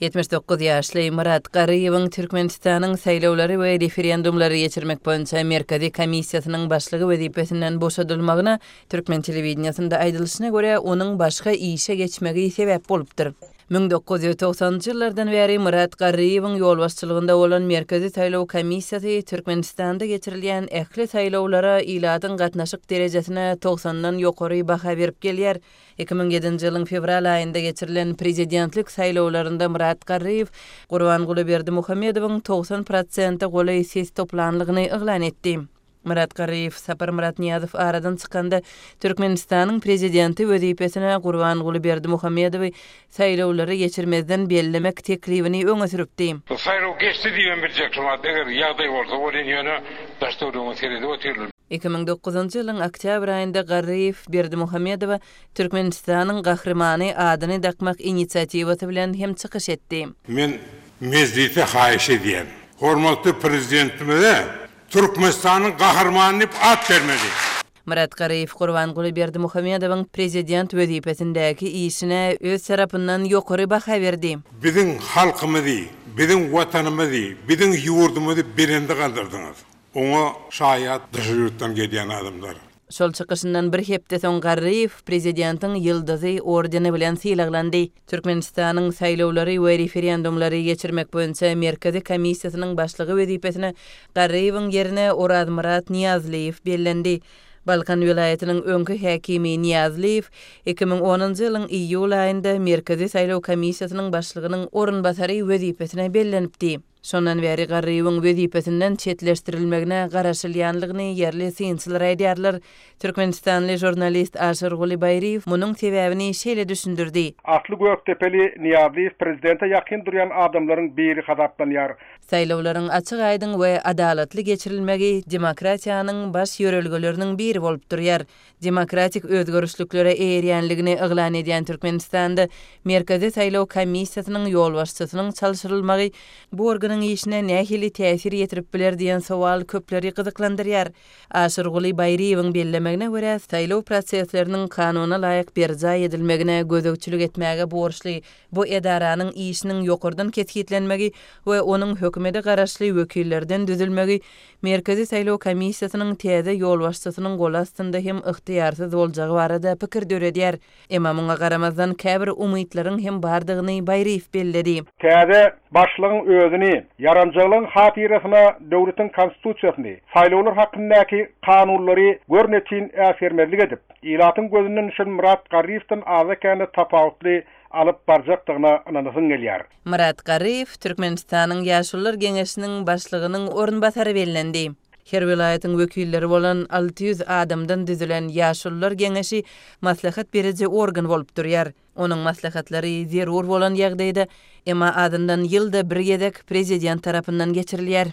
79 ýaşly Myrat Garryýewiň Türkmenistanyň Saýlawlary we referendumlary geçirmek boýunça Merkezi komissiýasynyň başlygy wezipesinden boşadylmagyna, türkmen telewideniýesinde aýdylyşyna görä, onuň başga işe geçmegi sebäp bolupdyr. 1990-njy ýyllardan bäri Myrat Garryýewiň ýolbaşçylygynda bolan Merkezi saýlaw komissiýasy Türkmenistanda geçirilýän ähli saýlawlara ilatyň gatnaşyk derejesine togsandan ýokary baha berip gelýär. 2007-nji ýylyň fewral aýynda geçirilen prezidentlik saýlawlarynda Myrat Garryýew Gurbanguly Berdimuhamedowyň 90 prosente golaý ses toplanlygyny yglan etdi. Myrat Garryýew Saparmyrat Nyýazow aradan çykanda Türkmenistanyň prezidenti wezipesine Gurbanguly Berdimuhamedowy saýlawlary geçirmezden bellemek teklibini öňe sürüpdi. Saýlaw geçdi diýibem biljek şu wagt eger ýagdaý bolsa welin ýöne daş töweregine seredip otyrlar. 2009-njy ýylyň oktýabr aýynda Garryýew Berdimuhamedowa Türkmenistanyň Gahrymany adyny dakmak inisiatiwasy bilen hem çykyş etdi. Men Mejlise haýyş edýän, hormatly Prezidentimize Türkmenistanyň Gahrymany diýip at bermeli. Myrat Garryýew Gurbanguly Berdimuhamedowyň prezident wezipesindäki işine öz tarapyndan ýokary baha berdi. Biziň halkymyzy, biziň Watanymyzy, biziň ýurdumyzy belende galdyrdyňyz. Oňa şaýat daşary ýurtdan gelýän adamlar. Şol çykyşyndan bir hepde soň Garryýew prezidentiň Ýyldyzy ordeni bilen sylaglandy. Türkmenistanyň Saýlawlary we referendumlary geçirmek boýunça Merkezi komissiýasynyň başlygy wezipesine Garryýewiň ýerine Orazmyrat Nyýazlyýew bellendi. Balkan welaýatynyň öňki häkimi Nyýazlyýew 2010-njy ýylyň iýul aýynda Merkezi saýlaw komissiýasynyň başlygynyň orunbasary wezipesine bellenipdi. Şondan bäri Garryýewiň wezipesinden çetleşdirilmegine garaşylýanlygyny ýerli synçylar aýdýarlar. Türkmenistanly žurnalist Aşyrguly Baýryýew munuň sebäbini şeýle düşündirdi. Asly gökdepeli Nyýazlyýew prezidente ýakyn durýan adamlaryň biri hasaplanýar. Saýlawlaryň açyk-aýdyň we adalatly geçirilmegi demokratiýanyň baş ýörelgeleriniň biri bolup durýar. Demokratik özgerişliklere eýerýänligini yglan edýän Türkmenistanda Merkezi saýlaw komissiýasynyň ýolbaşçysynyň çalşyrylmagy bu organyň işine nähili täsir ýetirip biler diýen sowal köpleri gyzyklandyrýar. Aşyrguly Baýryýewiň bellemegine görä, saýlaw prosesleriniň kanuna laýyk berjaý edilmegine gözegçilik etmäge borçly bu edaranyň işiniň ýokardan kesgitlenmegi we onuň hökümete garaşly wekillerden düzülmegi Merkezi saýlaw komissiýasynyň täze ýolbaşçysynyň goly astynda hem ygtyýarsyz boljagy barada pikir döredýär. Emma muňa garamazdan käbir umytlaryň hem bardygyny Baýryýew belledi. Täze başlygyň özüni ýaranjalygyň hatyrasyna döwletiň Konstitusiýasyny, saýlawlar hakyndaky kanunlary görnetin äsgermezlik edip, ilatyň gözünden düşen Myrat Garryýewden azda-kände tapawutly alyp barjakdygyna ynanasyň gelýär. Myrat Garryýew Türkmenistanyň Ýaşulular geňeşiniň başlygynyň orunbasary bellendi. Her welaýatyň wekilleri bolan 600 adamdan düzülen Ýaşulular geňeşi maslahat beriji organ bolup durýar. Onuň maslahatlary zerur bolan ýagdaýda, emma azyndan ýylda bir gezek Prezident tarapyndan geçirilýär.